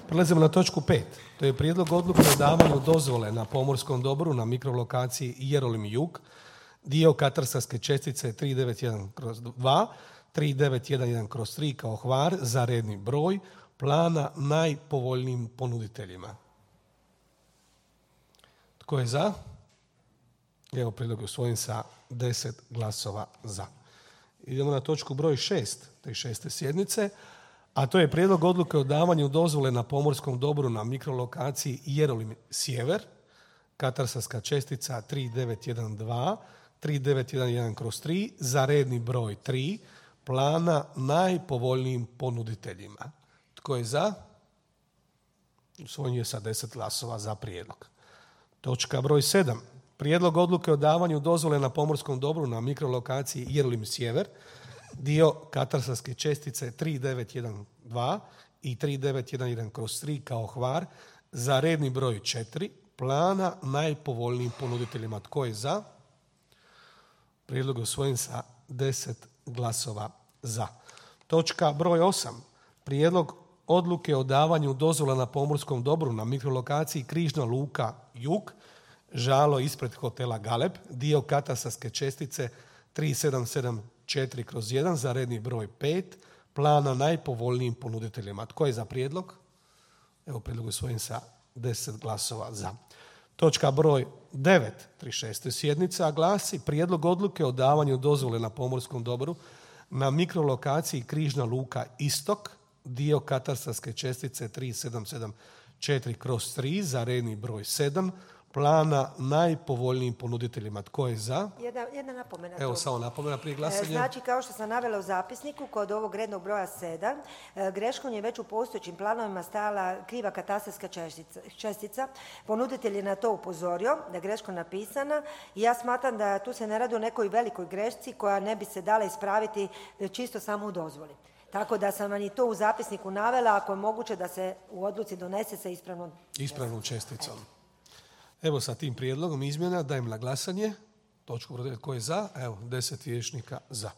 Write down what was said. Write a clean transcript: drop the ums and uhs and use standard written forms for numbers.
Prelazimo na točku 5. To je prijedlog odluke o davanju dozvole na pomorskom dobru na mikrolokaciji Jerolim Jug, dio katastarske čestice 391/2, 3911/3 kao Hvar za redni broj plana najpovoljnijim ponuditeljima. Tko je za? Evo, prijedlog je usvojen sa 10 glasova za. Idemo na točku broj 6 te 6. sjednice, a to je prijedlog odluke o davanju dozvole na pomorskom dobru na mikrolokaciji Jerolim Sjever, katastarska čestica 3912, 3911/3 za redni broj 3 plana najpovoljnijim ponuditeljima. Tko je za? Usvojen je sa 10 glasova za prijedlog. Točka broj 7. Prijedlog odluke o davanju dozvole na pomorskom dobru na mikrolokaciji Jerolim Sjever, dio katastarske čestice 3912 i 3911/3 kao Hvar za redni broj 4 plana najpovoljnijim ponuditeljima. Tko je za? Prijedlog je usvojen sa 10 glasova za. Točka broj 8. Prijedlog odluke o davanju dozvola na pomorskom dobru na mikrolokaciji Križna luka Jug, žalo ispred hotela Galeb, dio katastarske čestice 3774/1 za redni broj 5 plana najpovoljnijim ponuditeljima. Tko je za prijedlog? Evo, prijedlog je usvojen sa 10 glasova za. Točka broj 9, 36. sjednica glasi prijedlog odluke o davanju dozvole na pomorskom dobru na mikrolokaciji Križna luka Istok, dio katastarske čestice 3774/3 za redni broj 7 plana najpovoljnijim ponuditeljima. Tko je za? Jedna napomena. Evo, samo napomena prije glasanja. Znači, kao što sam navela u zapisniku, kod ovog rednog broja 7, greškom je već u postojećim planovima stajala kriva katastarska čestica. Ponuditelj je na to upozorio, da je greško napisana i ja smatram da tu se ne radi o nekoj velikoj grešci koja ne bi se dala ispraviti čisto samo u dozvoli. Tako da sam vam i to u zapisniku navela, ako je moguće da se u odluci donese sa ispravnom česticom. Evo, sa tim prijedlogom izmjena dajem na glasanje točku broj 9. Tko je za? Evo, 10 vijećnika za.